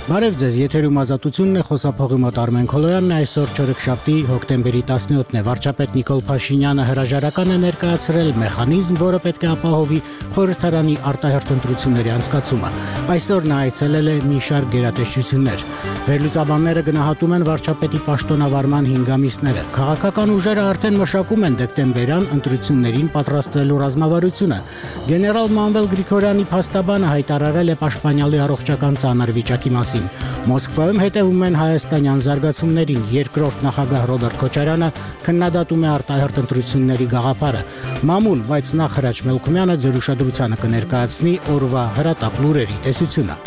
Բարև ձեզ, եթերում Ազատությունն է, խոսափողի մոտ Արմեն Քոլոյանն է, այսօր չորեքշաբթի հոկտեմբերի 17-ն է, վարչապետ Նիկոլ Փաշինյանը հրաժարական է ներկայացրել մեխանիզմ, որը պետք է ապահովի խորհրդարանի արտահերթ ընտրությունների անցկացումը։ Այսօր նա այցելել է մի շարք գերատեսչություններ։ Վերլուծաբանները գնահատում են վարչապետի պաշտոնավարման 5 ամիսները։ Քաղաքական ուժերը արդեն մշակում են դեկտեմբերյան ընտրություններին պատրաստվելու ռազմավարությունը։ Գեներալ Մանվել Գրիգորյանի փաստաբանը հայտարարել է պաշտպանյալի առողջական ծանր վիճակի մասին։ Մոսկվայում հետևում են հայաստանյան զարգացումներին։ Երկրորդ նախագահ Ռոբերտ Քոչարյանը քննադատում է արտահերթ ընտրությունների գաղափարը։ Մամուլ, բայց նախ Հրաչ Մելքումյանը ձեր ուշադրությանը կներկայացնի օրվա հրատապ լուրերի տեսությունը։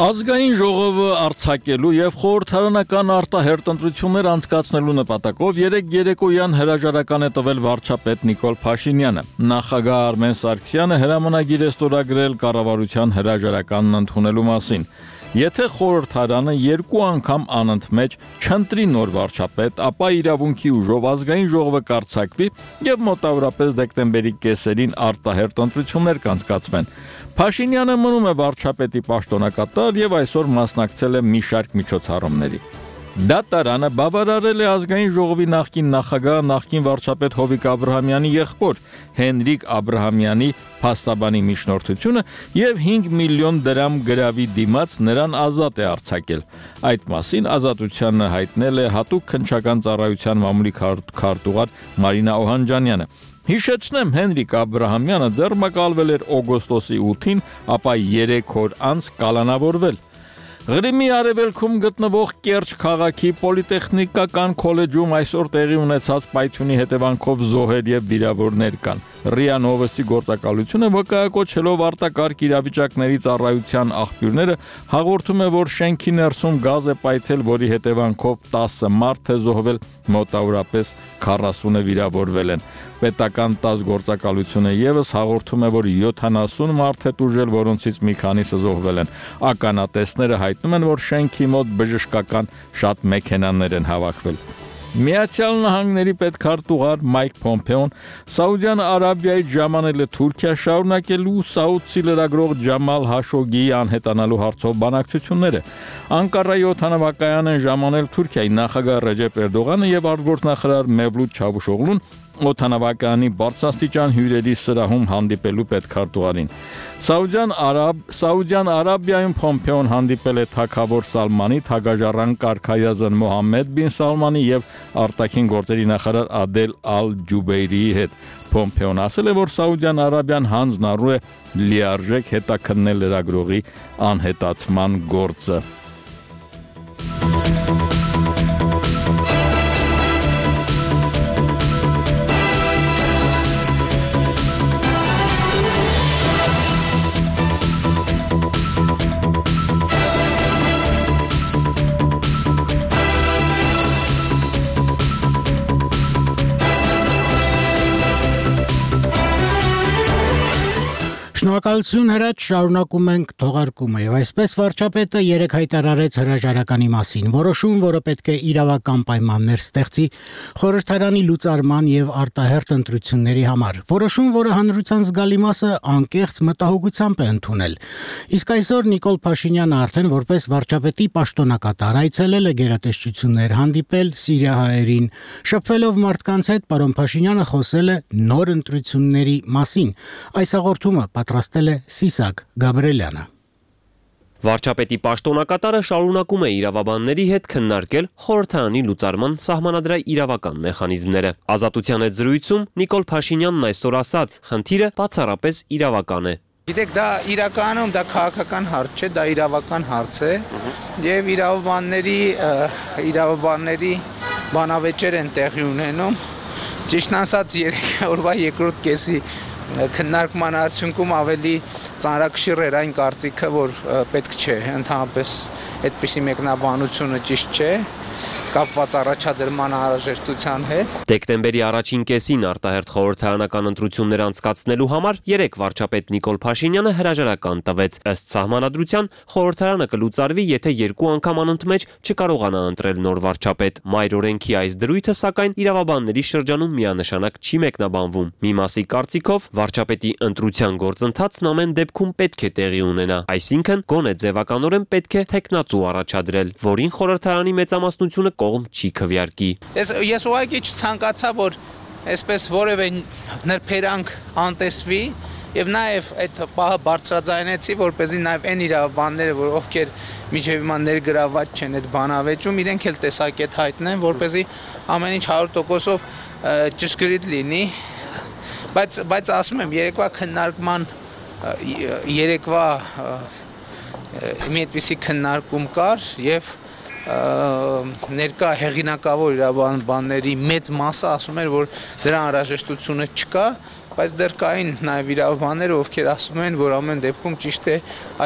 Ազգային ժողովը արձակելու եւ խորհրդարանական արտահերթ ընտրություններ անցկացնելու նպատակով երեկոյան հրաժարական է տվել վարչապետ Նիկոլ Փաշինյանը։ Նախագահ Արմեն Սարգսյանը հրամանագիր է ստորագրել կառավարության հրաժարականն ընդունելու մասին։ Եթե խորհրդարանը 2 անգամ անընդմեջ չընտրի նոր վարչապետ, ապա իրավունքի ուժով ազգային ժողովը կարձակվի եւ մոտավորապես դեկտեմբերի կեսերին արտահերթ ընտրություններ կանցկացվեն։ Փաշինյանը մնում է վարչապետի պաշտոնակատար եւ այսօր մասնակցել է մի շարք միջոցառումների։ Դատարանը բավարարել է ազգային ժողովի նախկին նախագահ, նախկին վարչապետ Հովիկ Աբրահամյանի եղբոր Հենրիկ Աբրահամյանի փաստաբանի միջնորդությունը եւ 5 միլիոն դրամ գրավի դիմաց նրան ազատ է արձակել։ Այդ մասին Ազատությանը հայտնել է հատուկ քննչական ծառայության մամուլի քարտուղար Մարինա Օհանջանյանը։ Հիշեցնեմ, Հենրիկ Աբրահամյանը ձեռնարկվել էր օգոստոսի 8-ին, ապա 3 օր անց կալանավորվել։ Ղրիմի արևելքում գտնվող Կերճ քաղաքի պոլիտեխնիկական քոլեջում այսօր տեղի ունեցած պայթյունի հետևանքով զոհեր եւ վիրավորներ կան։ ՌԻԱ Նովոստի գործակալությունը վկայակոչելով արտակարգ իրավիճակների ծառայության աղբյուրները հաղորդում է, որ շենքի ներսում գազ է պայթել, որի հետևանքով 10 մարդ է զոհվել, մոտավորապես 40-ը վիրավորվել են։ Պետական 10 գործակալությունը եւս հաղորդում է, որ 70 մարդ է տուժել, որոնցից մի քանիսը զոհվել են։ Ականատեսները հայտնում են, որ շենքի մոտ բժշկական շատ մեքենաներ են հավաքվել։ Միացյալ Նահանգների պետքարտուղար Մայք Փոմփեոն Սաուդյան Արաբիայից ժամանել է Թուրքիա շարունակելու Սաուդցի լրագրող Ջամալ Հաշոգիի անհետանալու հարցով բանակցությունները։ Անկարայի օդանավակայան են ժամանել Թուրքիայի նախագահ Ռեջեփ Էրդողանը եւ արտգործնախարար Մևլութ Չավուշօղլուն օդանավակայանի բարձրաստիճան հյուրերի սրահում հանդիպելու պետքարտուղարին։ Սաուդյան Արաբիայում Փոմփեոն հանդիպել է թագավոր Սալմանի, թագաժառանգ Կարքայազն Մոհամմեդ բին Սալմանի եւ արտաքին գործերի նախարար Ադել Ալ-Ջուբեյրիի հետ։ Փոմփեոն ասել է, որ Սաուդյան Արաբիան հանձնառու է լիարժեք հետաքննել լրագրողի անհետացման գործը։ Շնորհակալություն Հրաչ, շարունակում ենք թողարկումը եւ այսպես վարչապետը երեք հայտարարեց հրաժարականի մասին, որոշում, որը պետք է իրավական պայմաններ ստեղծի խորհրդարանի լուծարման եւ արտահերթ ընտրությունների համար, որոշում, որը հանրության զգալի մասը անկեղծ մտահոգությամբ է ընդունել։ Իսկ այսօր Նիկոլ Փաշինյանը արդեն որպես վարչապետի պաշտոնակատար այցելել է գերատեսչություններ, հանդիպել սիրիահայերին, շփվելով մարդկանց հետ, պարոն Փաշինյանը խոսել է նոր ընտրությունների մասին։ Այս հաղորդումը պատրաստել է Սիսակ Գաբրելյանը։ Վարչապետի պաշտոնակատարը շարունակում է իրավաբանների հետ քննարկել խորհրդարանի լուծարման սահմանադրաիրավական մեխանիզմները։ Ազատության հետ զրույցում Նիկոլ Փաշինյանն այսօր ասաց, խնդիրը բացառապես իրավական է։ Գիտեք, դա իրականում դա քաղաքական հարց չէ, դա իրավական հարց է, եւ իրավաբանների բանավեճեր են տեղի ունենում։ Ճիշտն ասած, օրվա երկրորդ կեսի քննարկման արդյունքում ավելի ծանրակշիռ էր այն կարծիքը, որ պետք չէ, ընդհանրապես այդպիսի մեկնաբանությունը ճիշտ չէ։ կապված առաջադրման անհրաժեշտության հետ։ Դեկտեմբերի առաջին կեսին արտահերթ խորհրդարանական ընտրություններ անցկացնելու համար 3 վարչապետ Նիկոլ Փաշինյանը հրաժարական տվեց։ Ըստ սահմանադրության խորհրդարանը կլուծարվի, եթե 2 անգամ անընդմեջ չկարողանա ընտրել նոր վարչապետ։ Մայր օրենքի այս դրույթը սակայն իրավաբանների շրջանում միանշանակ չի մեկնաբանվում։ Մի մասի կարծիքով վարչապետի ընտրության գործընթացն ամեն դեպքում պետք է տեղի ունենա, այսինքն գոնե ձևականորեն պետք է թեկնածու առաջադրել, որին խորհրդարանի մեծամասնությունը կողմ չի քվեարկի։ Ես ուղղակի չցանկացա, որ այսպես որևէ նրբերանգ անտեսվի եւ նաեւ այդ պահը բարձրաձայնեցի, որպեսզի նաեւ այն իրավաբանները, որ ովքեր միջև հիմա ներգրաված չեն այդ բանավեճում, իրենք էլ տեսակետ հայտնեն, որպեսզի ամեն ինչ 100%-ով ճշգրիտ լինի, բայց ասում եմ, երեկվա քննարկման երեկվա մի այդպիսի քննարկում կար եւ ներկա հեղինակավոր իրավաբանների մեծ մասը ասում էր, որ դրա անհրաժեշտությունը չկա, բայց դեռ կային նաև իրավաբանները, ովքեր ասում են, որ ամեն դեպքում ճիշտ է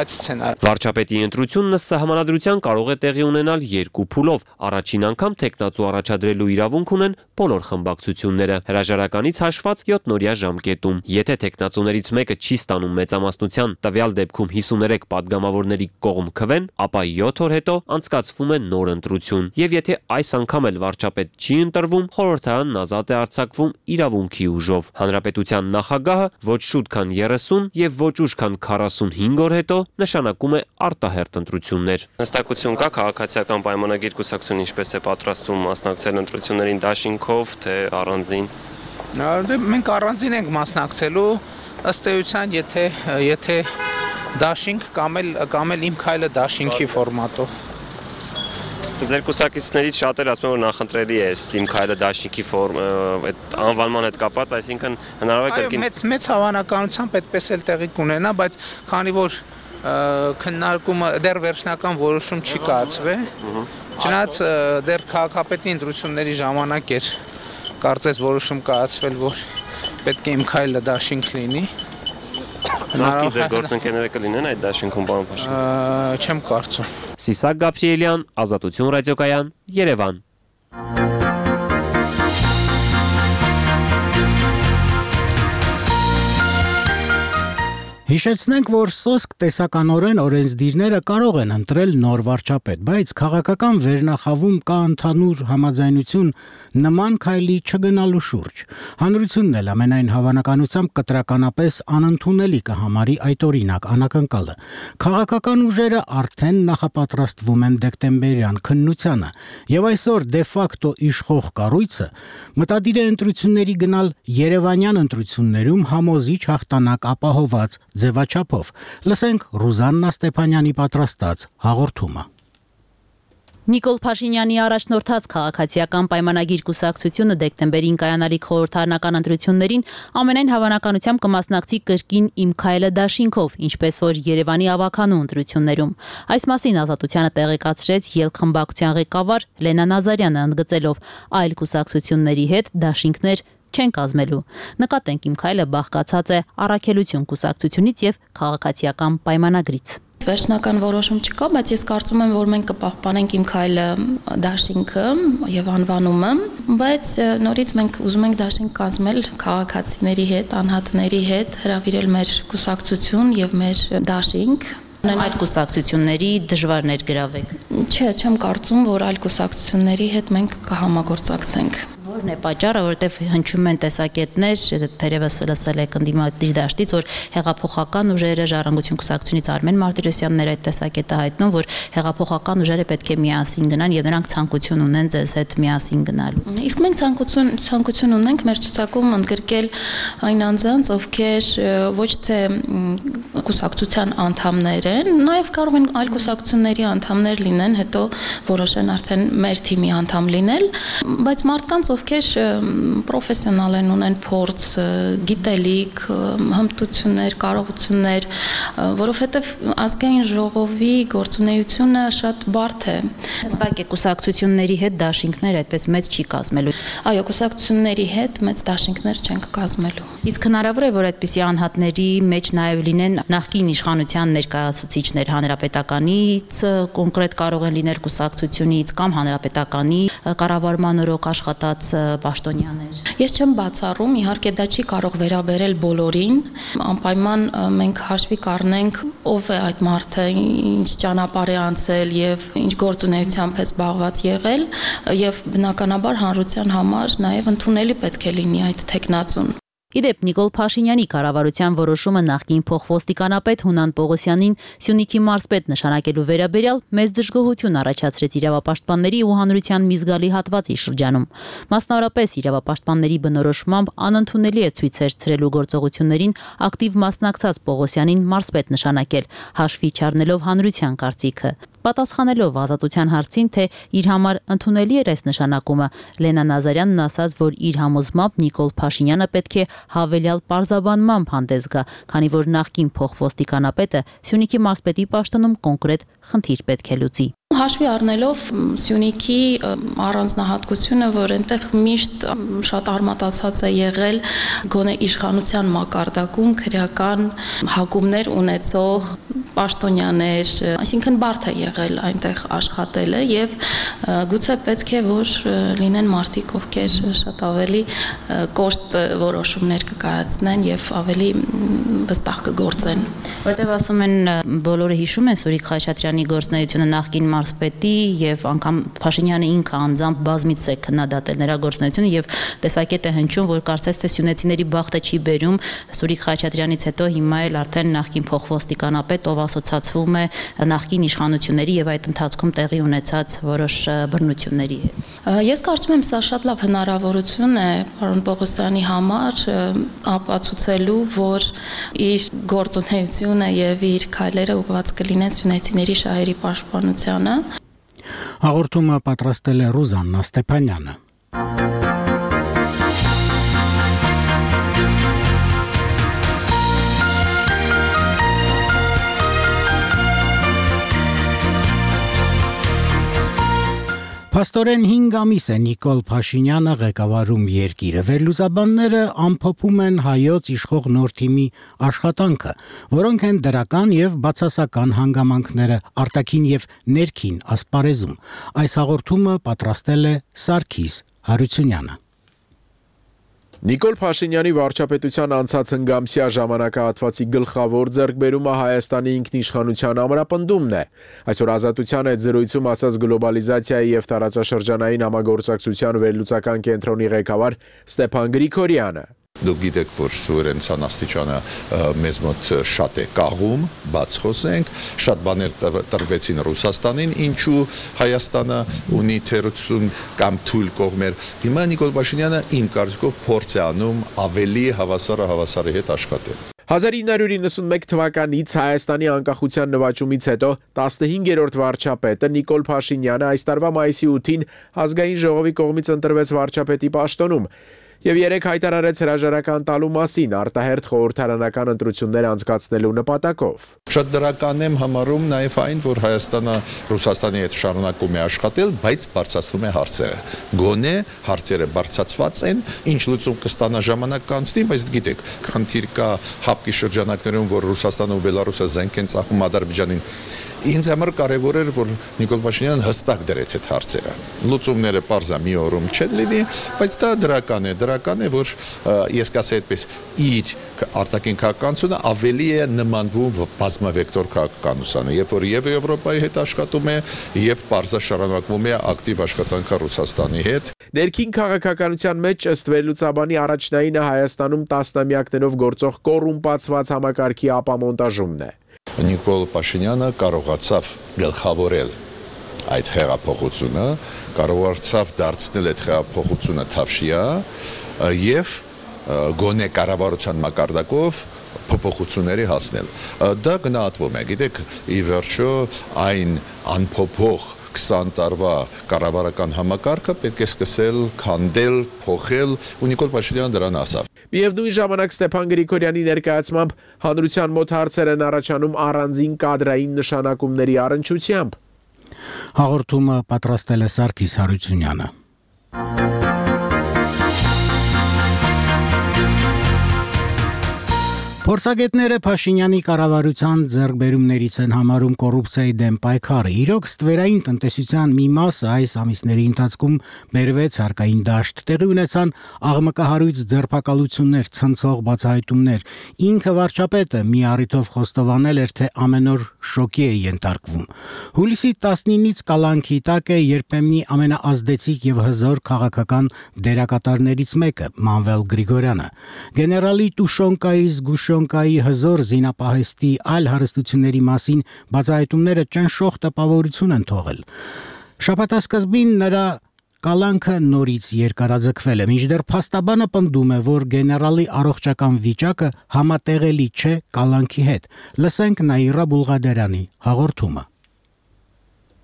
այդ սցենարը։ Վարչապետի ընտրությունն ըստ սահմանադրության կարող է տեղի ունենալ 2 փուլով։ Առաջին անգամ թեկնածու առաջադրելու իրավունք ունեն բոլոր խմբակցությունները, հրաժարականից հաշված 7-օրյա ժամկետում։ Եթե թեկնածուներից մեկը չի ստանում մեծամասնության, տվյալ դեպքում 53 падգամավորների կողմ քվեն, ապա 7 օր հետո անցկացվում է նոր ընտրություն։ Եվ եթե այս անգամ էլ վարչապետ չի ընտրվում, խորհրդարանն ազատ է արձակվում իրավունքի ուժով։ Հանրապետության նախագահը ոչ շուտ քան 30 եւ ոչ ուշ քան 45 օր հետո նշանակում է արտահերթ ընտրություններ։ Հստակություն կա քաղաքացիական պայմանագիր կուսակցությունը ինչպես է պատրաստվում մասնակցել ընտրություններին դաշինքով, թե առանձին։ Մենք առանձին ենք մասնակցելու, ըստ էության, եթե դաշինք կամ էլ իմ քայլը դաշինքի ֆորմատով։ Ձեր կուսակիցներից շատերը ասում են, որ նախընտրելի է իմ քայլը դաշինքի այդ անվանման հետ կապված, այսինքն հնարավոր է կրկին։ Մեծ հավանականությամբ այդպես էլ տեղի կունենա, բայց քանի որ քննարկումը դեռ վերջնական որոշում չի կայացվել, չնայած դեռ քաղաքապետի ընտրությունների ժամանակ էր կարծես որոշում կայացվել, որ պետք է իմ քայլը դաշինք լինի։ Նախքին ձեր գործընկերները կլինեն այդ դաշինքում, պարոն Փաշինյան։ Չեմ կարծում։ Սիսակ Գաբրիելյան, Ազատություն ռադիոկայան, Երևան։ Հիշեցնենք, որ սոսկ տեսականորեն օրենսդիրները կարող են ընտրել նոր վարչապետ, բայց քաղաքական վերնախավում կա ընդհանուր համաձայնություն նման քայլի չգնալու շուրջ։ Հանրությունն էլ ամենայն հավանականությամբ կտրականապես անընդունելի կհամարի այդ օրինակ անակնկալը։ Քաղաքական ուժերը արդեն նախապատրաստվում են դեկտեմբերյան քննությանը, եւ այսօր դե ֆակտո իշխող կառույցը մտադիր է ընտրությունների գնալ երևանյան ընտրություններում համոզիչ հաղթանակ ապահոված ձևաչափով։ Լսենք Ռուզաննա Ստեփանյանի պատրաստած հաղորդումը։ Նիկոլ Փաշինյանի առաջնորդած քաղաքացիական պայմանագիր կուսակցությունը դեկտեմբերին կայանալիք խորհրդարանական ընտրություններին ամենայն հավանականությամբ կմասնակցի կրկին իմ քայլը դաշինքով, ինչպես որ Երևանի ավականու ընտրություններում։ Այս մասին Ազատությանը տեղեկացրեց ԵԼ խմբակցության ղեկավար Լենա Նազարյանը, ընդգծելով այլ կուսակցությունների հետ դաշինքներ չեն կազմելու։ Նկատենք իմ քայլը բաղկացած է առաքելություն կուսակցությունից եւ քաղաքացիական պայմանագրից։ Վերջնական որոշում չկա, բայց ես կարծում եմ, որ մենք կպահպանենք իմ քայլը դաշինքը եւ անվանումը, բայց նորից մենք ուզում ենք դաշինք կազմել քաղաքացիների հետ, անհատների հետ, հրավիրել մեր կուսակցություն եւ մեր դաշինք։ Այլ կուսակցությունների դժվար ներգրավեք։ Չէ, չեմ կարծում, որ այլ կուսակցությունների հետ մենք կհամագործակցենք։ Որն է պատճառը, որովհետև հնչում են տեսակետներ, թերևս լսել եք ընդդիմադիր դաշտից, որ հեղափոխական ուժերը, Ժառանգություն կուսակցությունից Արմեն Մարտիրոսյանն էր այդ տեսակետը հայտնում, որ հեղափոխական ուժերը պետք է միասին գնան եւ նրանք ցանկություն ունեն ձեզ հետ միասին գնալու։ Իսկ մենք ցանկություն ունենք մեր ցուցակում ընդգրկել այն անձանց, ովքեր ոչ թե կուսակցության անդամներ են, նաեւ կարող են այլ կուսակցությունների անդամներ լինեն, հետո որոշեն արդեն մեր թիմի անդամ լինել, բայց մարդկանց, ովքեր ովքեր պրոֆեսիոնալ են, ունեն փորձ, գիտելիք, հմտություններ, կարողություններ, որովհետև ազգային ժողովի գործունեությունը շատ բարդ է։ Հստակ է կուսակցությունների հետ դաշինքներ այդպես մեծ չի կազմելու։ Այո, կուսակցությունների հետ մեծ դաշինքներ չենք կազմելու։ Իսկ հնարավոր է, որ այդպիսի անհատների մեջ նաև լինեն նախկին իշխանության ներկայացուցիչներ հանրապետականից, կոնկրետ կարող են լինել կուսակցությունից կամ հանրապետականի կառավարման օրոք աշխատած պաշտոնյաներ։ Ես չեմ բացառում, իհարկե դա չի կարող վերաբերել բոլորին, անպայման մենք հաշվի կառնենք ով է այդ մարդը, ինչ ճանապարհ է անցել եւ ինչ գործունեությամբ է զբաղված եղել եւ բնականաբար հանրության համար նաեւ ընդունելի պետք է լինի այդ տեխնացուն։ Իդեպ Նիկոլ Փաշինյանի կառավարության որոշումը նախկին փոխոստիկանապետ Հունան Պողոսյանին Սյունիքի մարզպետ նշանակելու վերաբերյալ մեծ դժգոհություն առաջացրեց իրավապաշտպանների ու հանրության մի զգալի հատվածի շրջանում։ Մասնավորապես իրավապաշտպանների բնորոշմամբ անընդունելի է ցույցեր ցրելու գործողություններին ակտիվ մասնակցած Պողոսյանին մարզպետ նշանակել, հաշվի չառնելով հանրության կարծիքը։ Պատասխանելով ազատության հարցին, թե իր համար ընդունելի էր այս նշանակումը, Լենա Նազարյանն ասաց, որ իր համոզմամբ Նիկոլ Փաշինյանը պետք է հավելյալ պարզաբանմամբ հանդես գա, քանի որ նախկին փոխոստիկանապետը Սյունիքի մարզպետի պաշտոնում կոնկրետ խնդիր պետք է լուծի։ Հաշվի առնելով Սյունիքի առանձնահատկությունը, որ այնտեղ միշտ շատ արմատացած է եղել գոնե իշխանության մակարդակում քրեական հակումներ ունեցող պաշտոնյաներ, այսինքն բարդ է եղել այնտեղ աշխատելը եւ գուցե պետք է որ լինեն մարդիկ, ովքեր շատ ավելի կոշտ որոշումներ կկայացնեն եւ ավելի վստահ կգործեն։ Որտեւ ասում են բոլորը հիշում են Սուրիկ Խաչատրյանի գործունեությունը նախկին մարզպետի եւ անգամ Փաշինյանը ինքը անձամբ բազմից է քննադատել նրա գործունեությունը եւ տեսակետ է հնչում, որ կարծես թե սյունեցիների բախտը չի բերում Սուրիկ Խաչատրյանից հետո հիմա էլ արդեն նախկին փոխոստիկանապետ, ով ասոցացվում է նախկին իշխանությունների եւ այդ ընթացքում տեղի ունեցած որոշ բռնությունների հետ։ Ես կարծում եմ սա շատ լավ հնարավորություն է պարոն Պողոսյանի համար ապացուցելու, որ իր գործունեությունը եւ իր քայլերը ուղղված կլինեն սյունեցիների շահերի պաշտպանությանը։ Հաղորդումը պատրաստել է Ռուզաննա Ստեփանյանը։ Փաստորեն 5 ամիս է Նիկոլ Փաշինյանը ղեկավարում երկիրը։ Վերլուծաբանները ամփոփում են հայոց իշխող նոր թիմի աշխատանքը, որոնք են դրական եւ բացասական հանգամանքները արտաքին եւ ներքին ասպարեզում։ Այս հաղորդումը պատրաստել է Սարգիս Հարությունյանը։ Նիկոլ Փաշինյանի վարչապետության անցած հնգամսյա ժամանակահատվածի գլխավոր ձեռքբերումը Հայաստանի ինքնիշխանության ամրապնդումն է։ Այսօր Ազատության այդ զրույցում ասաց գլոբալիզացիայի եւ տարածաշրջանային համագործակցության վերլուծական կենտրոնի ղեկավար Ստեփան Գրիգորյանը։ Դուք գիտեք, որ սուվերենության աստիճանը մեզ մոտ շատ է կաղում, բաց խոսենք, շատ բաներ տրվեցին Ռուսաստանին, ինչու Հայաստանը ունի թերություն կամ թույլ կողմեր։ Հիմա Նիկոլ Փաշինյանը իմ կարծիքով փորձ է անում ավելի հավասարի հետ աշխատել։ 1991 թվականից Հայաստանի անկախության նվաճումից հետո 15-րդ վարչապետը Նիկոլ Փաշինյանը այս տարվա մայիսի 8-ին ազգային ժողովի կողմից ընտրվեց վարչապետի պաշտոնում եւ երեք հայտարարեց հրաժարական տալու մասին արտահերթ խորհրդարանական ընտրություններ անցկացնելու նպատակով։ Շատ դրական եմ համարում նաեւ այն, որ Հայաստանը Ռուսաստանի հետ շարունակում է աշխատել, բայց բարձրացնում է հարցերը։ Գոնե հարցերը բարձրացված են, ինչ լուծում կստանա ժամանակ կանցնի, բայց գիտեք, խնդիր կա հապկի շրջանակներում, որ Ռուսաստանը ու Բելարուսը զենք են ծախում Ադրբեջանին։ Ինձ համար կարևոր էր, որ Նիկոլ Փաշինյանը հստակ դրեց այդ հարցերը։ Լուծումները պարզա մի օրում չեն լինի, բայց դա դրական է, որ ես կասեի այդպես, իր արտաքին քաղաքականությունը ավելի է նմանվում բազմավեկտոր քաղաքականությանը, երբ որ եւ Եվրոպայի հետ աշխատում է, եւ պարզա շարունակվում է ակտիվ աշխատանքը Ռուսաստանի հետ։ Ներքին քաղաքականության մեջ ըստ վերլուծաբանի առաջնայինը Հայաստանում տասնամյակներով գործող կոռումպացված համակարգի ապամոնտաժումն է։ Նիկոլ Փաշինյանը կարողացավ գլխավորել այդ հեղափոխությունը, կարողացավ դարձնել այդ հեղափոխությունը թավշյա եւ գոնե կառավարության մակարդակով փոփոխությունների հասնել։ Դա գնահատվում է, գիտեք, ի վերջո այն անփոփոխ 20 տարվա կառավարական համակարգը պետք է սկսել քանդել, փոխել, ու Նիկոլ Փաշինյանը դրան ասավ։ Միևնույն ժամանակ Ստեփան Գրիգորյանի ներկայացմամբ հանրության մոտ հարցեր են առաջանում առանձին կադրային նշանակումների առնչությամբ։ Հաղորդումը պատրաստել է Սարգիս Հարությունյանը։ Փորձագետները Փաշինյանի կառավարության ձեռքբերումներից են համարում կոռուպցիայի դեմ պայքարը։ Իրոք ստվերային տնտեսության մի մասը այս ամիսների ընթացքում բերվեց հարկային դաշտ, տեղի ունեցան աղմկահարույց ձերբակալություններ, ցնցող բացահայտումներ։ Ինքը վարչապետը մի առիթով խոստովանել էր, թե ամեն օր շոկի է ենթարկվում։ Հուլիսի 19-ից կալանքի տակ է երբեմնի ամենաազդեցիկ եւ հզոր քաղաքական դերակատարներից մեկը՝ Մանվել Գրիգորյանը։ Գեներալի Տուշոնկայի Գուշոնկայի հզոր զինապահեստի այլ հարստությունների մասին բացահայտումները ճնշող տպավորություն են թողել։ Շաբաթասկզբին նրա կալանքը նորից երկարաձգվել է, մինչդեռ փաստաբանը պնդում է, որ գեներալի առողջական վիճակը համատեղելի չէ կալանքի հետ։ Լսենք Նաիրա Բուլղադերյանի հաղորդումը։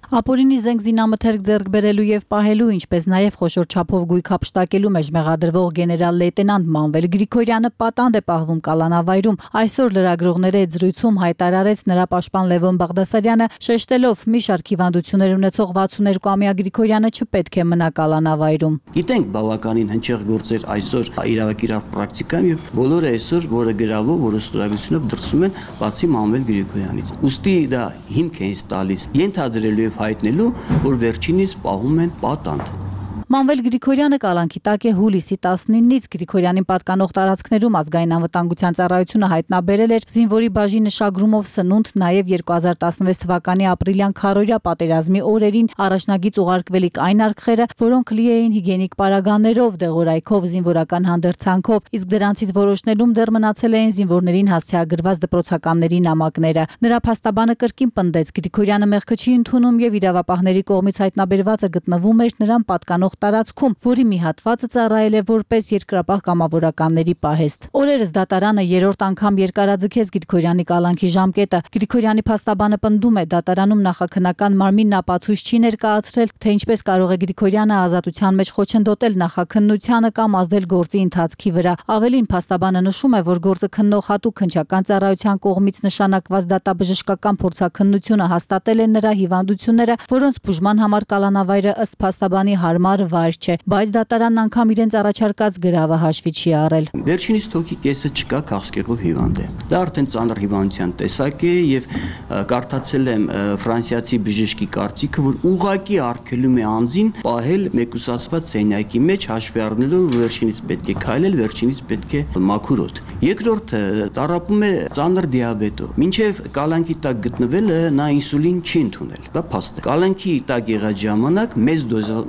Ապօրինի զենք զինամթերք ձեռք բերելու եւ պահելու, ինչպես նաեւ խոշոր չափով գույք հափշտակելու մեջ մեղադրվող գեներալ լեյտենանտ Մանվել Գրիգորյանը պատանդ է պահվում կալանավայրում։ Այսօր լրագրողների հետ զրույցում հայտարարեց նրա պաշտպան Լևոն Բաղդասարյանը, շեշտելով՝ մի շարք հիվանդություններ ունեցող 62-ամյա Գրիգորյանը չպետք է մնա կալանավայրում։ Գիտենք բավականին հնչեղ գործեր այսօր իրավակիրավ պրակտիկայում եւ բոլորը այսօր որը գրավով, որը ստորագրությունով դրսում են բացի Մանվել Գրիգորյանից։ Ոստի դա հիմք է ինձ տալիս ենթադրելու հայտնելու, որ վերջինից պահում են պատանդ։ Մանվել Գրիգորյանը կալանքի տակ է հուլիսի 19-ից Գրիգորյանին պատկանող տարածքներում ազգային անվտանգության ծառայությունը հայտնաբերել էր զինվորի բաժինը շագրումով սնունդ, նաև 2016 թվականի ապրիլյան քարոզիա պատերազմի օրերին առաջնագիծ ուղարկվելիք այն արկղերը, որոնք լի էին հիգիենիկ պարագաներով, դեղորայքով, զինվորական հանդերձանքով, իսկ դրանցից որոշնելում դեռ մնացել էին զինվորներին հասցեագրված դպրոցականների նամակները։ Նրա փաստաբանը կրկին պնդեց, Գրիգորյանը մեղքը չի ընդունում եւ իրավապահների կողմից հայտնաբերվածը գտնվում էր նրան պատկանող տարածքում, որի մի հատվածը ծառայել է որպես երկրապահ կամավորականների պահեստ։ Օրերս դատարանը երրորդ անգամ երկարաձգեց Գրիգորյանի կալանքի ժամկետը։ Գրիգորյանի փաստաբանը պնդում է, դատարանում նախաքննական մարմինն ապացույց չի ներկայացրել, թե ինչպես կարող է Գրիգորյանը ազատության մեջ խոչընդոտել նախաքննությանը կամ ազդել գործի ընթացքի վրա։ Ավելին, փաստաբանը նշում է, որ գործը քննող հատուկ քննչական ծառայության կողմից նշանակված դատաբժշկական փորձաքննությունը հաստատել է նրա հիվանդությունները, որոնց բուժման համար կալանավայրը ըստ փաստաբանի հարմար վայր չէ, բայց դատարանն անգամ իրենց առաջարկած գրավը հաշվի չի առել։ Վերջինիս թոքի կեսը չկա, քաղցկեղով հիվանդ է։ Դա արդեն ծանր հիվանդության տեսակ է եւ կարդացել եմ ֆրանսիացի բժշկի կարծիքը, որ ուղղակի արգելում է անձին պահել մեկուսացված սենյակի մեջ, հաշվի առնելով վերջինից պետք է քայլել, վերջինից պետք է մաքուր օդ։ Երկրորդը տառապում է ծանր դիաբետով։ Մինչև կալանքի տակ գտնվելը նա ինսուլին չի ընդունել։ Դա փաստ է։ Կալանքի տակ եղած ժամանակ մեծ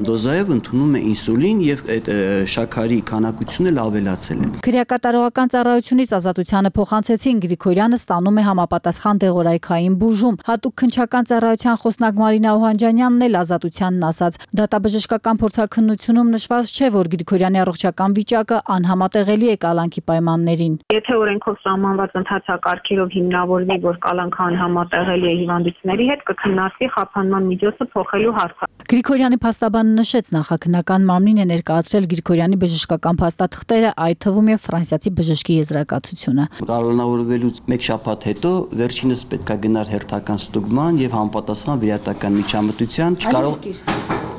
դոզայով ընդունում է ինսուլին եւ այդ շաքարի քանակությունը ավելացել է։ Քրեակատարողական ծառայությունից ազատությանը փոխանցեցին Գրիգորյանը ստանում է համապատասխան դեղորայքային բուժում։ Հատուկ քննչական ծառայության խոսնակ Մարինա Օհանջանյանն էլ ազատությանն ասաց. դատաբժշկական փորձաքննությունում նշված չէ, որ Գրիգորյանի առողջական վիճակը անհամատեղելի է կալանքի պայմաններին։ Եթե օրենքով սահմանված ընթացակարգերով հիմնավորվի, որ կալանքը անհամատեղելի է հիվանդությունների հետ, կքննարկվի խափանման միջոցը փոխելու հարցը։ Գրիգորյանի փաստաբանը նշեց, նախաքննական մարմնին է ներկայացրել Գրիգորյանի բժշկական փաստաթղթերը, այդ թվում եւ ֆրանսիացի բժշկի եզրակացությունը։ Կալանավորվելուց մեկ շաբաթ հետո վերջինս պետքա գնար հերթական ստուգման եւ համապատասխան վիրատական միջամտության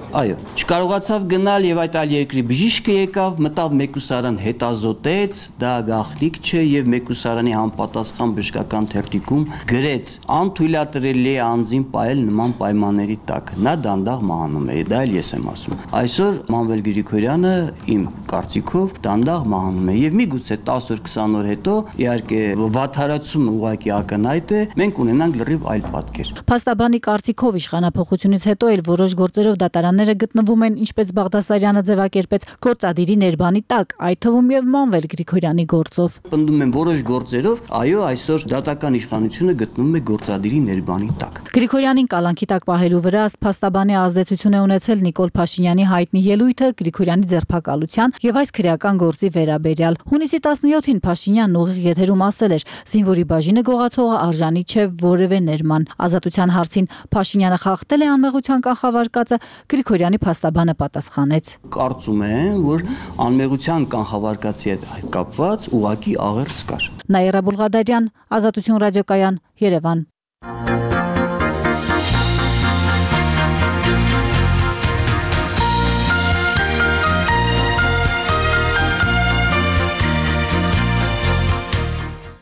չկարողացավ գնալ եւ այդ այլ երկրի բժիշկը եկավ, մտավ մեկուսարան հետազոտեց, դա գաղտնիք չէ եւ մեկուսարանի համապատասխան բժշկական թերթիկում գրեց անթույլատրելի է անձին պահել նման պայմանների տակ։ Նա դանդաղ մահանում է, դա էլ ես եմ ասում։ Այսօր Մանվել Գրիգորյանը իմ կարծիքով դանդաղ մահանում է եւ միգուցե 10 օր 20 օր հետո իհարկե վատթարացումը ուղղակի ակնհայտ է, մենք ունենանք լրիվ այլ պատկեր։ Փաստաբանի կարծիքով իշխանապողությունից հետո էլ որոշ գործերով դատարանները պաշտոնյաները գտնվում են, ինչպես Բաղդասարյանը ձևակերպեց, գործադիրի ներբանի տակ, այդ թվում եւ Մանվել Գրիգորյանի գործով։ Պնդում են որոշ գործերով, այո, այսօր դատական իշխանությունը գտնվում է գործադիրի ներբանի տակ։ Գրիգորյանին կալանքի տակ պահելու վրա ըստ փաստաբանի ազդեցություն է ունեցել Նիկոլ Փաշինյանի հայտնի ելույթը Գրիգորյանի ձերբակալության եւ այս քրեական գործի վերաբերյալ։ Հունիսի 17-ին Փաշինյանն ուղիղ եթերում ասել էր. «Զինվորի բաժինը գողացողը արժանի չէ որևէ ներման»։ Ազատության հարցին Փաշինյանը խախտել է անմեղության կանխավարկածը, Գրիգորյանի փաստաբանը պատասխանեց. Կարծում եմ, որ անմեղության կանխավարկածի հետ կապված ուղղակի աղերս կար։ Նաիրա Բուլղադարյան, Ազատություն ռադիոկայան, Երևան։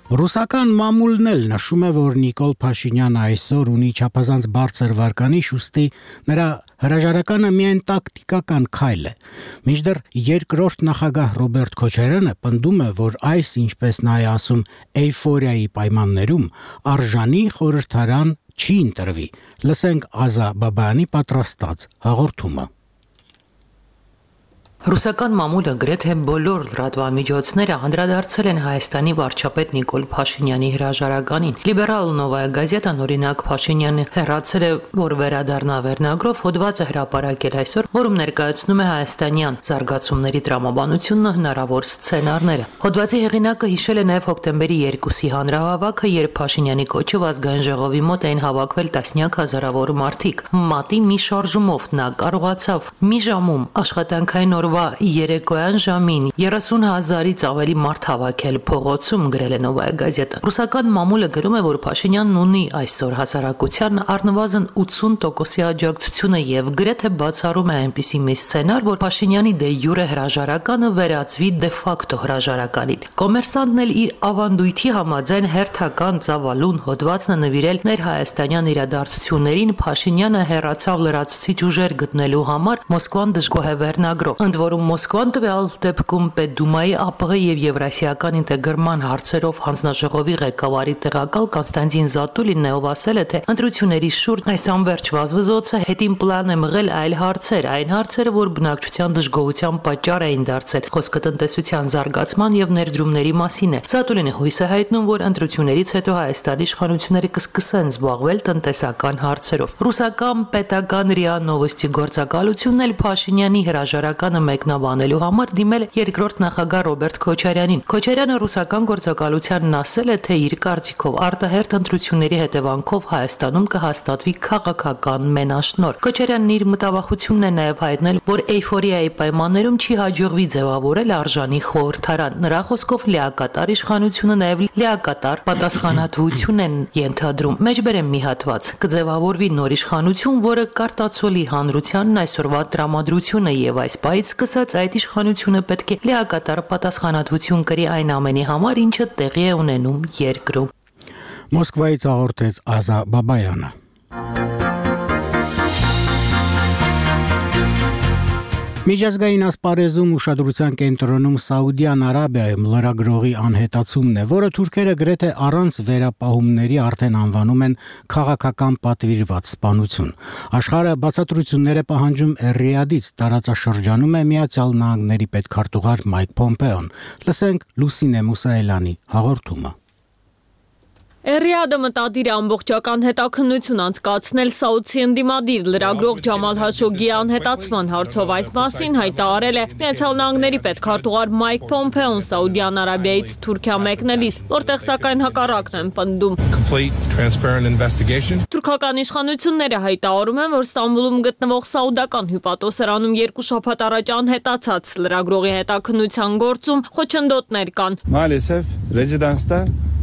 Ռուսական մամուլն էլ նշում է, որ Նիկոլ Փաշինյանը այսօր ունի չափազանց բարձր վարկանիշ, ուստի նրա հրաժարականը միայն տակտիկական քայլ է։ Մինչդեռ երկրորդ նախագահ Ռոբերտ Քոչարյանը պնդում է, որ այս, ինչպես նա է ասում, էյֆորիայի պայմաններում արժանի խորհրդարան չի ընտրվի։ Լսենք Ազա Բաբայանի պատրաստած հաղորդումը։ Ռուսական մամուլը գրեթե բոլոր լրատվամիջոցները անդրադարձել են Հայաստանի վարչապետ Նիկոլ Փաշինյանի հրաժարականին։ Լիբերալ Նովայա գազետան օրինակ Փաշինյանը հեռացել է, որ վերադառնա վերնագրով հոդված է հրապարակել այսօր, որում ներկայացնում է հայաստանյան զարգացումների տրամաբանությունն ու հնարավոր սցենարները։ Հոդվածի հեղինակը հիշել է նաև հոկտեմբերի 2-ի հանրահավաքը, երբ Փաշինյանի կոչով ազգային ժողովի մոտ էին հավաքվել տասնյակ հազարավոր մարդիկ։ Մատի մի շարժումով նա կարողացավ մի ժամում աշխատանքային օրվա երեկոյան ժամին 30,000-ից ավելի մարդ հավաքել փողոցում, գրել է Նովայա գազետան։ Ռուսական մամուլը գրում է, որ Փաշինյանն ունի այսօր հասարակության առնվազն 80%-ի աջակցությունը եւ գրեթե բացառում է այնպիսի մի սցենար, որ Փաշինյանի դե յուրե հրաժարականը վերածվի դե ֆակտո հրաժարականին։ Կոմերսանտն էլ իր ավանդույթի համաձայն հերթական ծավալուն հոդվածն է նվիրել ներհայաստանյան իրադարձություններին Փաշինյանը հեռացավ լրացուցիչ ուժեր գտնելու համար Մոսկվան դժգոհ է վերնագրով։ Ընդ որում Մոսկվան տվյալ դեպքում Պետդումայի ԱՊՀ եւ Եվրասիական ինտեգրման հարցերով հանձնաժողովի ղեկավարի տեղակալ Կոնստանտին Զատուլինն ով ասել է, թե ընտրությունների շուրջ այս անվերջ վազվզոցը հետին պլան է մղել այլ հարցեր, այն հարցերը, որ բնակչության դժգոհության պատճառ էին դարձել։ Խոսքը տնտեսության զարգացման եւ ներդրումների մասին է։ Զատուլինը հույս է հայտնում, որ ընտրություններից հետո Հայաստանի իշխանությունները կսկսեն զբաղվել տնտեսական հարցերով։ Ռուսական պետական ՌԻԱ Նովոստի գործակալությունն էլ Փաշինյանի հրաժարականը մեկնաբանելու համար դիմել է երկրորդ նախագահ Ռոբերտ Քոչարյանին։ Քոչարյանը ռուսական գործակալությանն ասել է, թե իր կարծիքով արտահերթ ընտրությունների հետևանքով Հայաստանում կհաստատվի քաղաքական մենաշնորհ։ Քոչարյանն իր մտավախությունն է նաև հայտնել, որ էյֆորիայի պայմաններում չի հաջողվի ձևավորել արժանի խորհրդարան։ Նրա խոսքով լիակատար իշխանությունը նաև լիակատար պատասխանատվություն են ենթադրում։ Մեջբերեմ մի հատված. կձևավորվի նոր իշխանություն, որը կարտացոլի հանրությանն այսօրվա տրամադրությունը եւ այս պահից սկսած այդ իշխանությունը պետք է լիակատար պատասխանատվություն կրի այն ամենի համար, ինչը տեղի է ունենում երկրում։ Մոսկվայից հաղորդեց Ազա Բաբայանը։ Միջազգային ասպարեզում ուշադրության կենտրոնում Սաուդյան Արաբիայում լրագրողի անհետացումն է, որը թուրքերը գրեթե առանց վերապահումների արդեն անվանում են քաղաքական պատվիրված սպանություն։ Աշխարհը բացատրություններ է պահանջում Ռիադից, տարածաշրջանում է Միացյալ Նահանգների պետքարտուղար Մայք Փոմպեոն։ Լսենք Լուսինե Մուսայելյանի հաղորդումը։ Ռիադը մտադիր է ամբողջական հետաքննություն անցկացնել Սաուդցի ընդդիմադիր լրագրող Ջամալ Հաշոգիի անհետացման հարցով։ Այս մասին հայտարարել է Միացյալ Նահանգների պետքարտուղար Մայք Փոմպեոն Սաուդյան Արաբիայից Թուրքիա մեկնելիս, որտեղ սակայն հակառակն են պնդում։ Թուրքական իշխանությունները հայտարարում են, որ Ստամբուլում գտնվող սաուդական հյուպատոսարանում 2 շաբաթ առաջ անհետացած լրագրողի հետաքննության գործում խոչընդոտներ կան։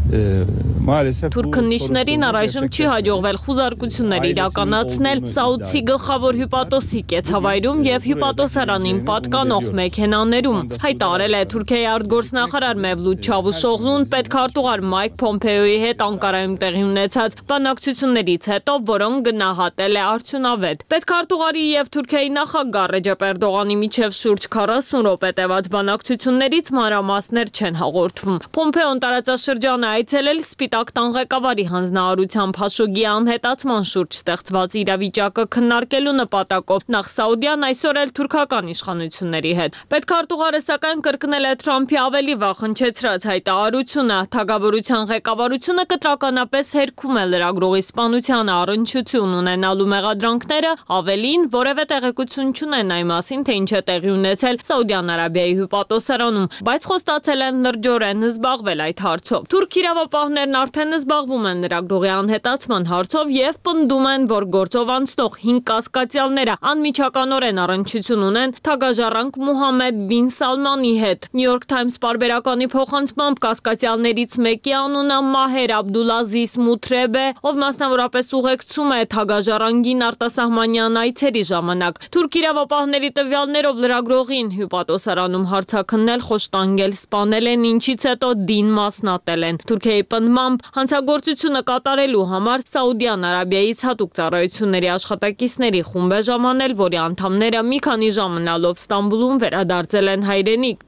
Թուրք քննիչներին առայժմ չի հաջողվել խուզարկություններ իրականացնել Սաուդցի գլխավոր հյուպատոսի կեցավայրում եւ հյուպատոսարանին պատկանող մեքենաներում, հայտարարել է Թուրքիայի արտգործնախարար Մևլութ Չավուշօղլուն պետքարտուղար Մայք Փոմպեոյի հետ Անկարայում տեղի ունեցած բանակցություններից հետո, որոնք գնահատել է արդյունավետ։ Պետքարտուղարի եւ Թուրքիայի նախագահ Ռեջեփ Էրդողանի միջև շուրջ 40 րոպե տևած բանակցություններից մանրամասներ չեն հաղորդվում։ Փոմպեոն տարածաշրջանը այցելել Սպիտակ տան ղեկավարի հանձնարարությամբ հաշուգի անհետացման շուրջ ստեղծված իրավիճակը քննարկելու նպատակով նախ Սաուդիան, այսօր էլ թուրքական իշխանությունների հետ։ Պետքարտուղարը սակայն կրկնել է Թրամփի ավելի վաղ հնչեցրած հայտարարությունը։ Թագավորության ղեկավարությունը կտրականապես հերքում է լրագրողի սպանությանը առնչություն ունենալու մեղադրանքները, ավելին որևէ տեղեկություն չունեն այն մասին, թե ինչ է տեղի ունեցել Սաուդյան Արաբիայի հյուպատոսարանում, բայց խոստացել են լրջորեն զբաղվել այդ հարցով։ Թուրք իրավապահներն արդեն զբաղվում են լրագրողի անհետացման հարցով եւ պնդում են, որ գործով անցնող 5 կասկածյալները անմիջականորեն առնչություն ունեն թագաժառանգ Մուհամմեդ բին Սալմանի հետ։ New York Times պարբերականի փոխանցմամբ կասկածյալներից մեկի անունը Մահեր Աբդուլազիզ Մութրեբ է, ով մասնավորապես ուղեկցում է թագաժառանգին արտասահմանյան այցերի ժամանակ։ Թուրք իրավապահների տվյալներով լրագրողին հյուպատոսարանում հարցաքննել, խոշտանգել, սպանել են, ինչից հետո դին մասնատել են։ Թուրքիայի պնդմամբ հանցագործությունը կատարելու համար Սաուդյան Արաբիայից հատուկ ծառայությունների աշխատակիցների խումբ է ժամանել, որի անդամները մի քանի ժամ մնալով Ստամբուլում վերադարձել են հայրենիք։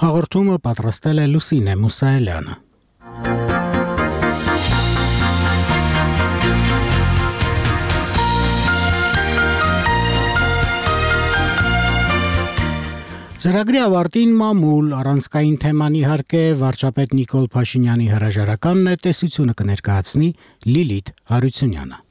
Հաղորդումը պատրաստել է Լուսինե Մուսայելյանը։ Ծրագրի ավարտին մամուլ առանցքային թեման իհարկե վարչապետ Նիկոլ Փաշինյանի հրաժարականն է, տեսությունը կներկայացնի Լիլիթ Հարությունյանը։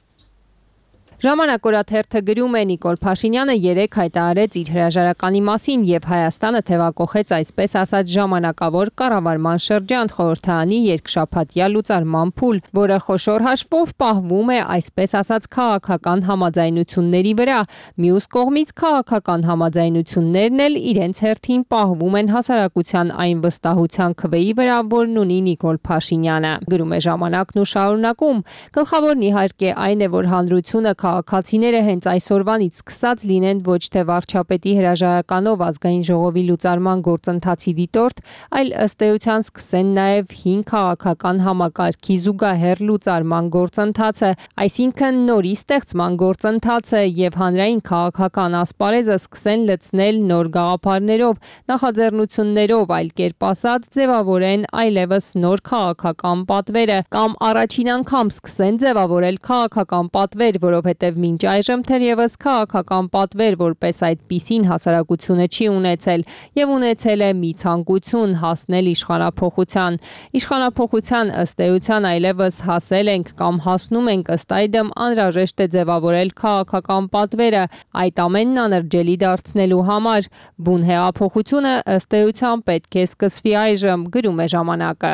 Ժամանակորաթերթը գրում է Նիկոլ Փաշինյանը երեկ հայտարարեց իր հրաժարականի մասին եւ Հայաստանը թեվակողեց այսպես ասած ժամանակավոր կառավարման շրջան խորհրդարանի երկշաբաթյա լուծարման փուլ, որը խոշոր հաշվով պահվում է այսպես ասած քաղաքական համաձայնությունների վրա։ Մյուս կողմից քաղաքական համաձայնություններն էլ իրենց հերթին պահվում են հասարակության այն վստահության քվեի վրա, որն ունի Նիկոլ Փաշինյանը։ Գրում է Ժամանակն ու շարունակում. գլխավորն իհարկե այն է, որ հանրությունը քաղաքացիները հենց այսօրվանից սկսած լինեն ոչ թե վարչապետի հրաժարականով ազգային ժողովի լուծարման գործընթացի դիտորդ, այլ ըստ էության սկսեն նաև 5 քաղաքական համակարգի զուգահեռ լուծարման գործընթացը, այսինքն նորի ստեղծման գործընթացը եւ հանրային քաղաքական ասպարեզը սկսեն լցնել նոր գաղափարներով, նախաձեռնություններով, այլ կերպ ասած, ձևավորեն այլևս նոր քաղաքական պատվերը կամ առաջին անգամ սկսեն ձևավորել քաղաքական պատվեր, որովհետև մինչ այժմ թերևս քաղաքական պատվեր որպես այդպիսին հասարակությունը չի ունեցել եւ ունեցել է մի ցանկություն հասնել իշխանափոխության։ Իշխանափոխության ըստ էության այլևս հասել ենք կամ հասնում ենք, ըստ այդմ անհրաժեշտ է ձևավորել քաղաքական պատվերը այդ ամենն անրջելի դարձնելու համար։ Բուն հեղափոխությունը ըստ էության պետք է սկսվի այժմ, գրում է Ժամանակը։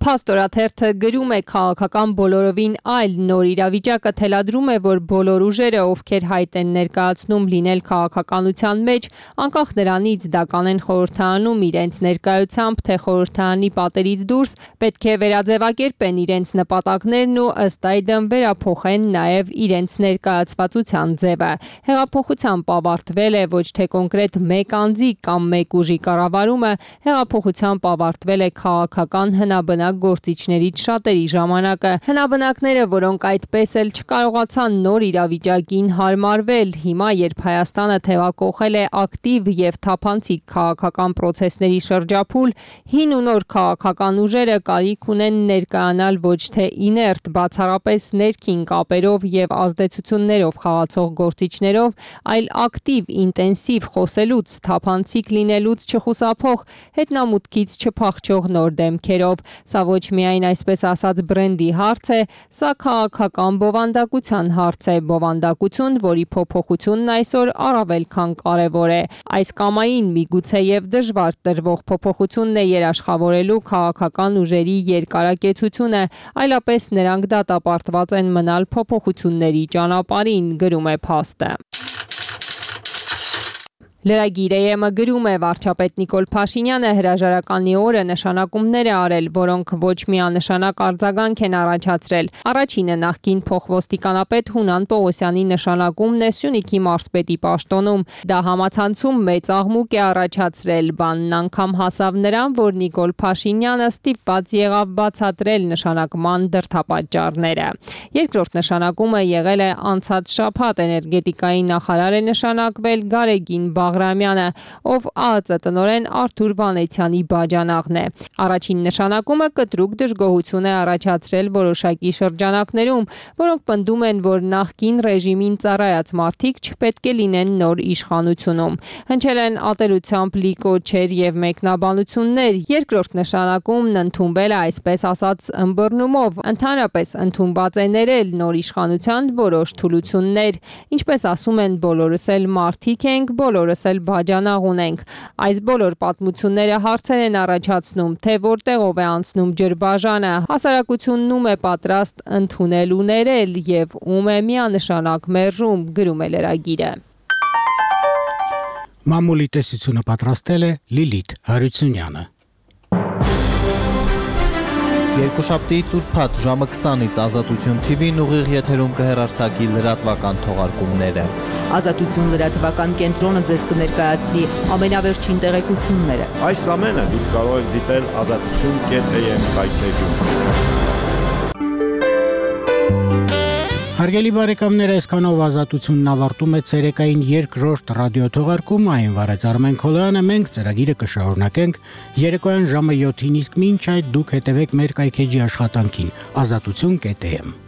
Փաստորաթերթը գրում է քաղաքական բոլորովին այլ նոր իրավիճակը թելադրում է, որ բոլոր ուժերը, ովքեր հայտ են ներկայացնում լինել քաղաքականության մեջ, անկախ նրանից դա կանեն խորհրդարանում իրենց ներկայությամբ, թե խորհրդարանի պատերից դուրս, պետք է վերաձևակերպեն իրենց նպատակներն ու ըստ այդմ վերափոխեն նաև իրենց ներկայացվածության ձևը։ Հեղափոխությամբ ավարտվել է ոչ թե կոնկրետ մեկ անձի կամ մեկ ուժի կառավարումը, հեղափոխությամբ ավարտվել է քաղաքական հնաբնակ գործիչներից շատերի ժամանակը։ Հնաբնակները, որոնք այդպես էլ չկարողացան նոր իրավիճակին հարմարվել, հիմա երբ Հայաստանը թևակողել է ակտիվ եւ թափանցիկ քաղաքական procesների շրջափուլ, հին ու նոր քաղաքական ուժերը կարիք ունեն ներկայանալ ոչ թե իներտ, բացառապես ներքին կապերով եւ ազդեցություններով խաղացող գործիչներով, այլ ակտիվ, ինտենսիվ խոսելուց, թափանցիկ լինելուց չխուսափող, հետնամուտքից չփախչող նոր դեմքերով։ Սա ոչ միայն այսպես ասած բրենդի հարց է, սա քաղաքական բովանդակության հարց է, բովանդակություն, որի փոփոխությունն այսօր առավել քան կարևոր է։ Այս կամային միգուցե եւ դժվար տրվող փոփոխությունն է երաշխավորելու քաղաքական ուժերի երկարակեցությունը, այլապես նրանք դատապարտված են մնալ փոփոխությունների ճանապարհին, գրում է փաստը։ Լրագիր AM-ը գրում է վարչապետ Նիկոլ Փաշինյանը հրաժարականի օրը նշանակումներ է արել, որոնք ոչ միանշանակ արձագանք են առաջացրել։ Առաջինը նախկին փոխոստիկանապետ Հունան Պողոսյանի նշանակումն է Սյունիքի մարզպետի պաշտոնում։ Դա համացանցում մեծ աղմուկ է առաջացրել, բանն անգամ հասավ նրան, որ Նիկոլ Փաշինյանը ստիպված եղավ բացատրել նշանակման դրդապատճառները։ Երկրորդ նշանակումը եղել է անցած շաբաթ էներգետիկայի նախարար է նշանակվել Գարեգին Բաղրամյանը, ով ԱԱԾ տնօրեն Արթուր Վանեցյանի բաժանաղն է։ Առաջին նշանակումը կտրուկ դժգոհություն է առաջացրել որոշակի շրջանակներում, որոնք պնդում են, որ նախկին ռեժիմին ծառայած մարդիկ չպետք է լինեն նոր իշխանությունում։ Հնչել են ատելությամբ լի կոչեր եւ մեկնաբանություններ, երկրորդ նշանակումն ընդունվել է այսպես ասած ըմբռնումով, ընդհանրապես ընդունված է ներել նոր իշխանության որոշ թուլություններ, ինչպես ասում են բոլորս էլ մարդիկ ենք, բոլորս էլ բաժանաղ ունենք։ Այս բոլոր պատմությունները հարցեր են առաջացնում, թե որտեղով է անցնում ջրբաժանը, հասարակությունն ում է պատրաստ ընդունել ու ներել եւ ում է միանշանակ մերժում, գրում է լրագիրը։ Մամուլի տեսությունը պատրաստել է Լիլիթ Հարությունյանը։ Երկուշաբթի ծուրփաթ ժամը 20-ից Ազատություն TV-ն ուղիղ եթերում կհեռարձակի լրատվական թողարկումները։ Ազատություն լրատվական կենտրոնը ձեզ կներկայացնի ամենավերջին տեղեկությունները։ Այս ամենը դուք կարող եք դիտել azatutun.am վայրէջում։ Հարգելի բարեկամներ, այսքանով Ազատությունն ավարտում է ցերեկային երկրորդ ռադիոթողարկումը, այն վարեց Արմեն Քոլոյանը, մենք ծրագիրը կշարունակենք երեկոյան ժամը 7-ին, իսկ մինչ այդ դուք հետևեք մեր կայքեջի աշխատանքին azatutun.am